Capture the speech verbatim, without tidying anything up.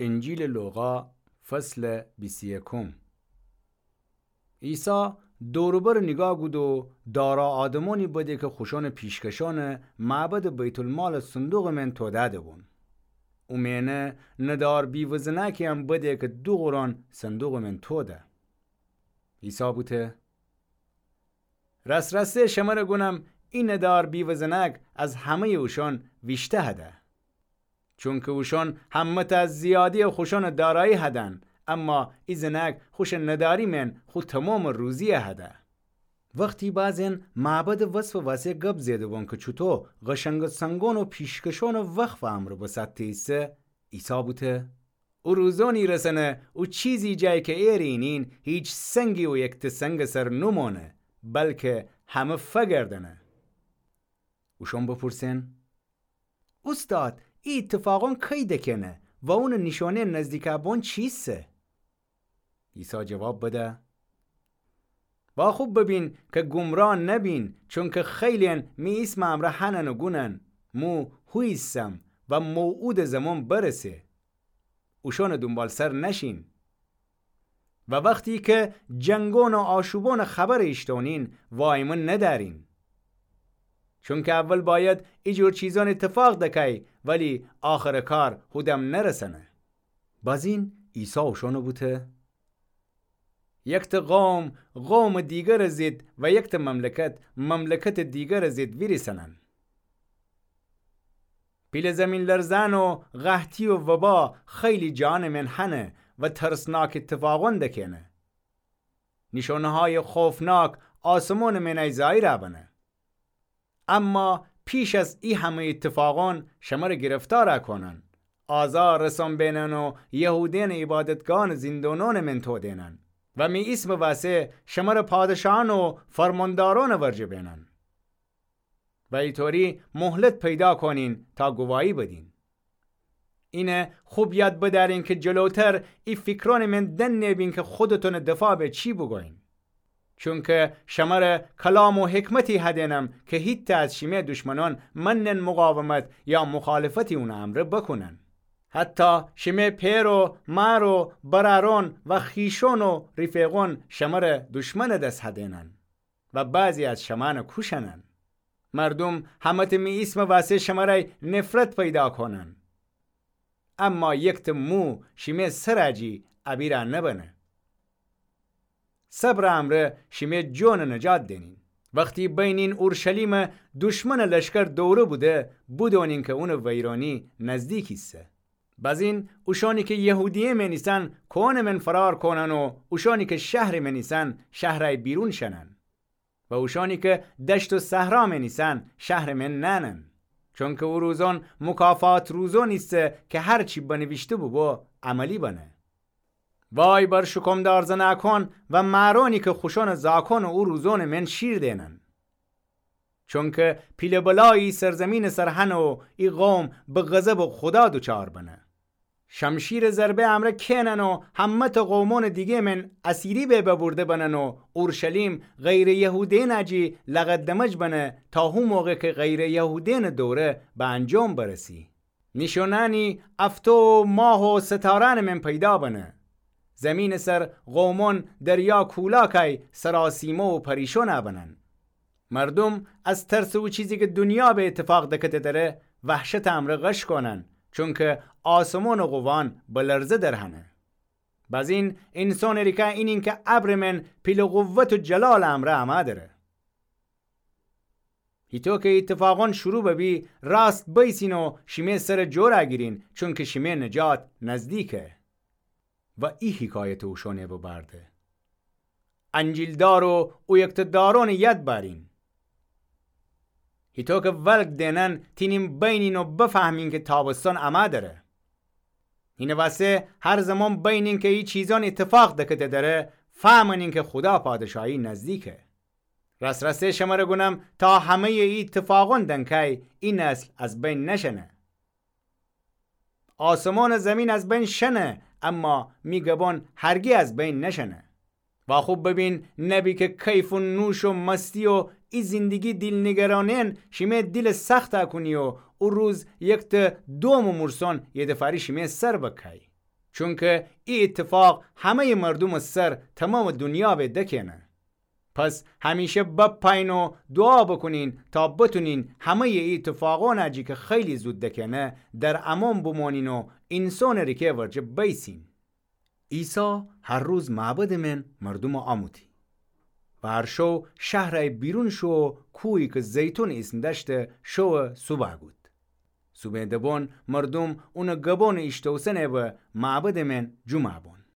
انجیلٚ لوقا، فصلٚ بیست و یکم. عیسی دور و بر نیگاه گود و دارا آدمأنی بده کی خوشأنٚ پیشکشأنٚ معبدٚ بیت‌المالٚ صندوقٚ مئن تودأده بون. او مئنه ندار بیوه‌زنأکی‌یم بده کی دو قرآن صندوقٚ مئن توده. عیسی بوته: راس‌راسی شمر گونم، ای ندار بیوه‌زنأک از همه‌یٚ اوشأن ویشته هده. چونکی اوشأن همه‌تأ زیاده‌یٚ خوشأنٚ دارایی هدن، اما ای زنأک خوشٚ نداری مئن خو تومامٚ روزی‌یه هده. وختی بعضی‌یأن معبدٚ وصفٚ وسه گب زئده بون کی چوطو قشنگٚ سنگأن و پیشکشأنٚ وقفٚ امرأ بسأتته ایسه، عیسی بوته: او روزأنی رسنه او چیزی جای کی ایرٚ اینین هیچ سنگی او یکته سنگٚ سر نومأنه، بلکی همه فگردنه. اوشأن بپورسئن: اوستاد، ای ایتفاقأن کی دکئنه و اونٚ نیشأنه نزدیکٚ بون چیسه؟ عیسی جواب بده: واخوب ببین کی گمراه نبین، چونکی خیلی‌یأن می ایسمٚ امرأ هنن و گونن: مو هو ایسم و موعودٚ زمان برسه. اوشأنٚ دونبالسر نشین. و وختی کی جنگأن و آشوبأنٚ خبر ایشتونین، وایمه ندأرین. چونکی اول بأید ایجور چیزأن ایتفاق دکای، ولی آخرٚ کار هودم نرسنه. بزین عیسی اوشأن بوته: یکته قوم قومٚ دیگرٚ ضد و یکته مملکت مملکتٚ دیگرٚ ضد ویریسنن. پیله زیمین‌لرزه‌یأن و قحطی و وبا خیلی جانٚ مئن هنه و ترسناک ایتفاقأن دکئنه. نیشأنه‌هایٚ خوفناک آسمانٚ مئنای ظاهر بنه. اما پیش از ای همه ایتفاقأن شمر گرفتار کونن، آزار رسان بئنن و یهودیأنٚ عبادتگاهأنٚ زیندونأنٚ مئن تودئنن و می ایسمٚ وسه شمر پادشاهأن و فرماندارأنٚ ورجه بئنن و ایطوری مهلت پیدا کونین تا گواهی بدین. اینه خوب یاد بدأرین کی جلوتر ای فیکرأنٚ مئن دنه بین کی خودتأنٚ دفاع به چی بوگویین. چونکی شمر کلام و حکمتی هدینم کی هیتأ از شیمه دشمنأن منن مقاومت یا مخالفتی اونٚ امرأ بکونن. حتی شیمه پئر و مار و برأرأن و خویشأن و رفیقأن شمر دشمنٚ دس هدینن و بعضی از شمأن کوشنن. مردوم همه‌تأ می ایسمٚ وسه شمرأی نفرت پیدا کونن. اما یکته مو شیمه سرٚ جی ابیرٚ نبنه. صبرٚ امرأ شیمه جونٚ نجات دئنین. وختی بینین اورشلیمٚ دشمنٚ لشکر دوره بوده، بدونین کی اونٚ ویرأنی نزدیک ایسه. بزین اوشأنی کی یهودیه مئن ایسن کوهأنٚ مئن فرار کونن و اوشأنی کی شهرٚ مئن ایسن شهرأی بیرون شنن. و اوشأنی کی دشت و صحرا مئن ایسن شهرٚ مئن نأنن. چونکی او روزأن مکافات روزأنی ایسه کی هر چی بنیویشته بوبو عملی بنه. وای بر شکمدار زنأکأن و مأرأنی کی خوشأنٚ زأکأن او روزأنٚ مئن شیر دئنن. چونکی پیله بلایی سرزیمینٚ سر هنه و ای قوم به غضبٚ خودا دوچار بنه. شمشیرٚ ضربه امرأ کئنن و همه‌تأ قومأنٚ دیگه مئن اسیری به ببرده بنن و اورشلیم غیرٚ یهودیأنٚ جی لغدمج بنه تا هو موقع کی غیرٚ یهودیأنٚ دوره به انجام برسی. نیشأنأنی افتو و ماه و ستارأنٚ مئن پیدا بنه. زیمینٚ سر قومأن دریا کولاکأی سراسیمه و پریشان بنن. مردوم از ترسٚ او چیزی کی دونیا به ایتفاق دکته دره، وحشتٚ امرأ غش کونن، چونکی آسمانٚ قووأن به لرزه در هنه. بزین اینسانٚ ریکه اینین کی ابرٚ مئن پیله قوت و جلالٚ امرأ امأ دره. هیطو کی ایتفاقأن شروع ببی، راست بیسین و شیمه سرٚ جور گیرین، چونکی شیمه نجات نزدیکه. و ای حکایت اوشأنٚ ببرده: انجیلدار و اویکته دارأنٚ ید بأرین. هیطو کی ولگ دئنن تینین بینین و بفهمین کی تابستان امأ دره. هینٚ وسه هر زمان بینین کی ای چیزأن ایتفاق دکته دره، فهمأنین کی خودا پادشاهی نزدیکه. راس‌راسه شمر گونم، تا همه‌یٚ ای ایتفاقأن دنکأی، ای نسل از بین نشنه. آسمان و زیمین از بین شنه، اما می گبأن هرگی از بین نشنه. واخوب ببین، نبی کی کیف و نوش و مستی و ای زندگی دیل‌نگرانی‌یأن شیمه دیل سخت کونی و او روز یکته دومٚ مورسأن یدفأری شیمه سر بکای. چونکه ای ایتفاق همه‌یٚ مردومٚ سر تومامٚ دونیا به دکأنه. پس همیشه بپأیین و دوعا بوکونین تا بتونین همه‌یٚ ای ایتفاقأنَ جی که خیلی زود دکأنه در امأن بمأنین و اینسانٚ ریکه ورجه بیسین. عیسی هر روز معبدٚ مئن مردومَ آموتی و هر شو شهرَ بیرون شو و کویی که زیتون ایسم دأشته شوٚ سوبا گود. سوبٚ دبون مردوم اونٚ گبونٚ ایشتوسنَ به معبدٚ مئن جمعه بون.